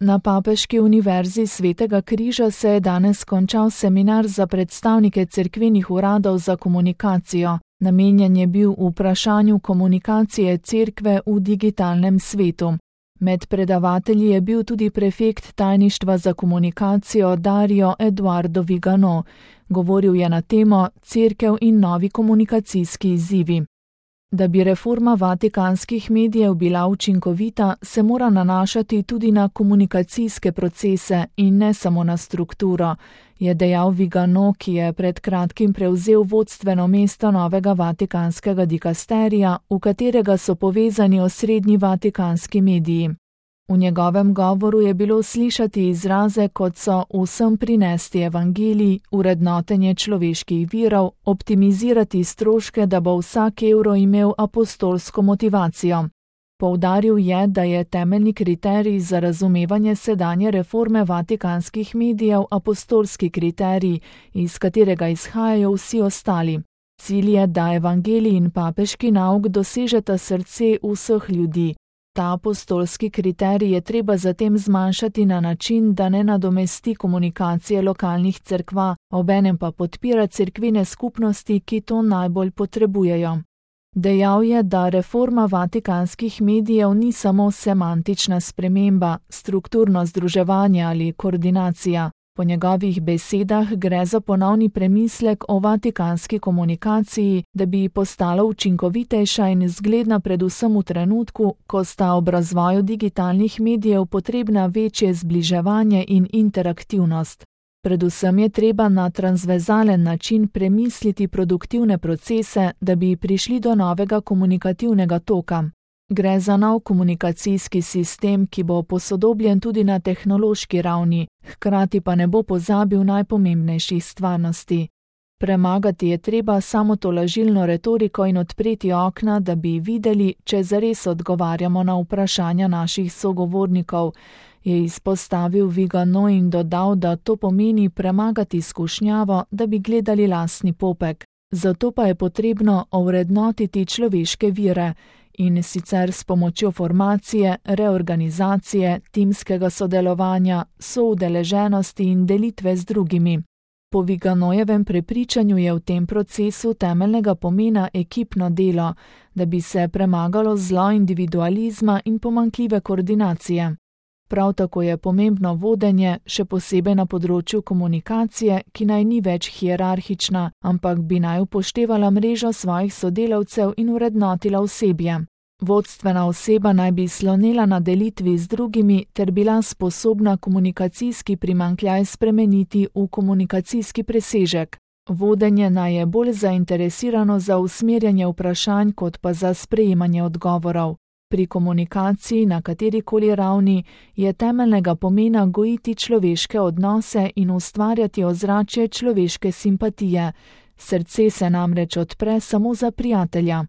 Na Papeški univerzi Svetega križa se je danes končal seminar za predstavnike cerkvenih uradov za komunikacijo. Namenjen je bil vprašanju komunikacije cerkve v digitalnem svetu. Med predavatelji je bil tudi prefekt tajništva za komunikacijo Dario Eduardo Vigano. Govoril je na temo Cerkev in novi komunikacijski izzivi. Da bi reforma vatikanskih medijev bila učinkovita, se mora nanašati tudi na komunikacijske procese in ne samo na strukturo, je dejal Vigano, ki je pred kratkim prevzel vodstveno mesto novega vatikanskega dikasterija, v katerega so povezani osrednji vatikanski mediji. V njegovem govoru je bilo slišati izraze, kot so vsem prinesti evangelij, urednotenje človeških virov, optimizirati stroške, da bo vsak evro imel apostolsko motivacijo. Poudaril je, da je temeljni kriterij za razumevanje sedanje reforme vatikanskih medijev apostolski kriterij, iz katerega izhajajo vsi ostali. Cilj je, da evangelij in papeški nauk dosežeta srce vseh ljudi. Ta apostolski kriterij je treba zatem zmanjšati na način, da ne nadomesti komunikacije lokalnih cerkva, obenem pa podpira cerkvene skupnosti, ki to najbolj potrebujejo. Dejal je, da reforma vatikanskih medijev ni samo semantična sprememba, strukturno združevanje ali koordinacija. Po njegovih besedah gre za ponovni premislek o vatikanski komunikaciji, da bi postala učinkovitejša in zgledna predvsem v trenutku, ko sta ob razvoju digitalnih medijev potrebna večje zbliževanje in interaktivnost. Predvsem je treba na transverzalen način premisliti produktivne procese, da bi prišli do novega komunikativnega toka. Gre za nov komunikacijski sistem, ki bo posodobljen tudi na tehnološki ravni, hkrati pa ne bo pozabil najpomembnejših stvarnosti. Premagati je treba samotolažilno retoriko in odpreti okna, da bi videli, če zares odgovarjamo na vprašanja naših sogovornikov, je izpostavil Vigano in dodal, da to pomeni premagati skušnjavo, da bi gledali lastni popek. Zato pa je potrebno ovrednotiti človeške vire, in sicer s pomočjo formacije, reorganizacije, timskega sodelovanja, soudeleženosti in delitve z drugimi. Po Viganojevem prepričanju je v tem procesu temeljnega pomena ekipno delo, da bi se premagalo zlo individualizma in pomanjkljive koordinacije. Prav tako je pomembno vodenje, še posebej na področju komunikacije, ki naj ni več hierarhična, ampak bi naj upoštevala mrežo svojih sodelavcev in vrednotila osebje. Vodstvena oseba naj bi slonela na delitvi z drugimi ter bila sposobna komunikacijski primanjkljaj spremeniti v komunikacijski presežek. Vodenje naj je bolj zainteresirano za usmerjanje vprašanj kot pa za sprejemanje odgovorov. Pri komunikaciji na katerikoli ravni je temeljnega pomena gojiti človeške odnose in ustvarjati ozračje človeške simpatije. Srce se namreč odpre samo za prijatelja.